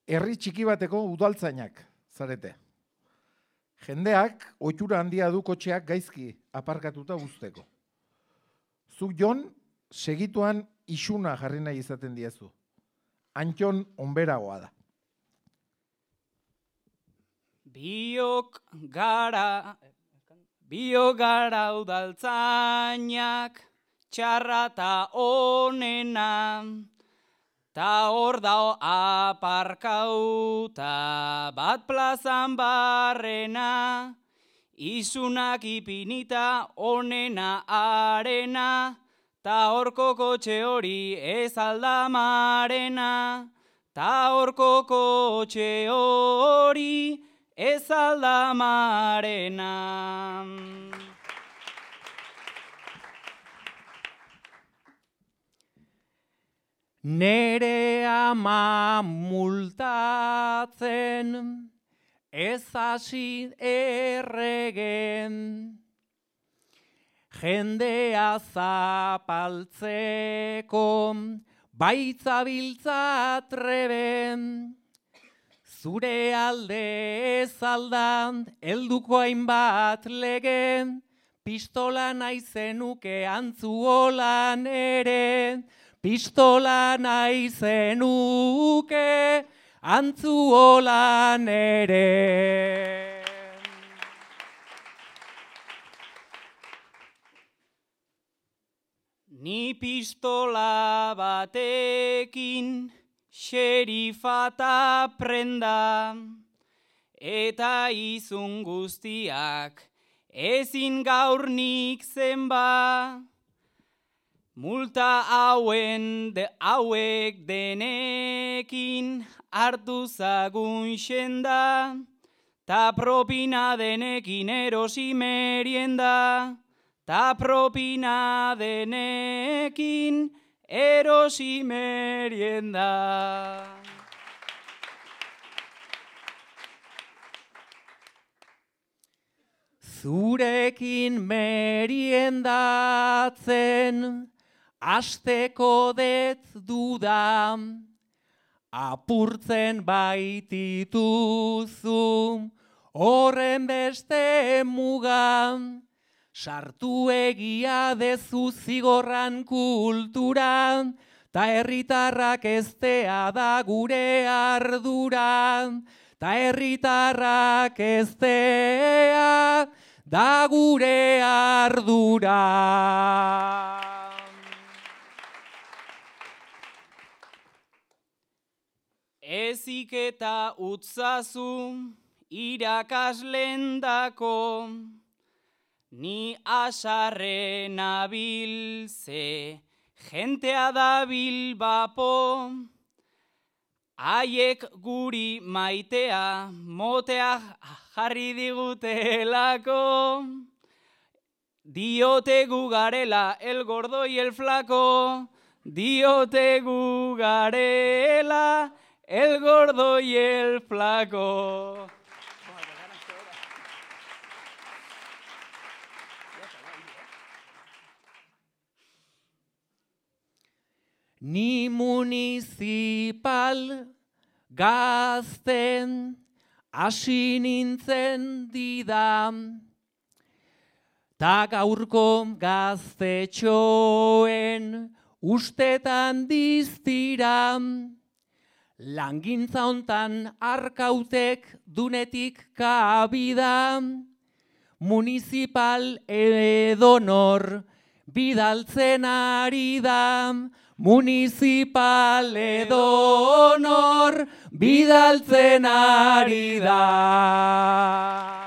herri txiki bateko udaltzainak zarete. Jendeak ohitura handia du kotxeak gaizki aparkatuta uzteko. Zuk Jon, segituan isuna jarri nahi izaten diezu. Antton onberagoa da. Biok gara udaltzainak, txarra ta onena, ta hor dao aparkauta bat plazan barrena, isunak ipinita onena arena, ta horko kotxe hori ez aldamarena, ta horko kotxe hori ez aldamarena. Nere ama multatzen, ez hasi erregen, jendea zapaltzeko, baitzabiltza treben, zure alde ez aldan, helduko hainbat legen, pistola naizenuke antzuolan ere, pistola naizenuke antzuolan ere. Ni pistola batekin xerifata prenda, eta izun guztiak ezin gaur nik zenba. Multa hauek denekin hartu zagun xenda, ta propina denekin erosi merienda, ta propina denekin erosi merienda. Zurekin meriendatzen, asteko det duda, apurtzen baitituzu, horren beste muga, sartu egia dezu zigorran kultura, ta herritarrak eztea da gure ardura, ta herritarrak eztea da gure ardura. Ezik eta utzazu irakaslendako, ni asarren abilze, jentea da bilbapo, haiek guri maitea, motea jarri digutelako, diote gu garela el gordo y el flaco, diote gu garela el gordo y el flaco. Ni municipal gazten hasi nintzen didan, ta gaurko gaztetxoen ustetan diztiran, langintza hontan arkautek dunetik kabida, municipal edonor bidaltzen ari da, municipal edonor bidaltzen ari da.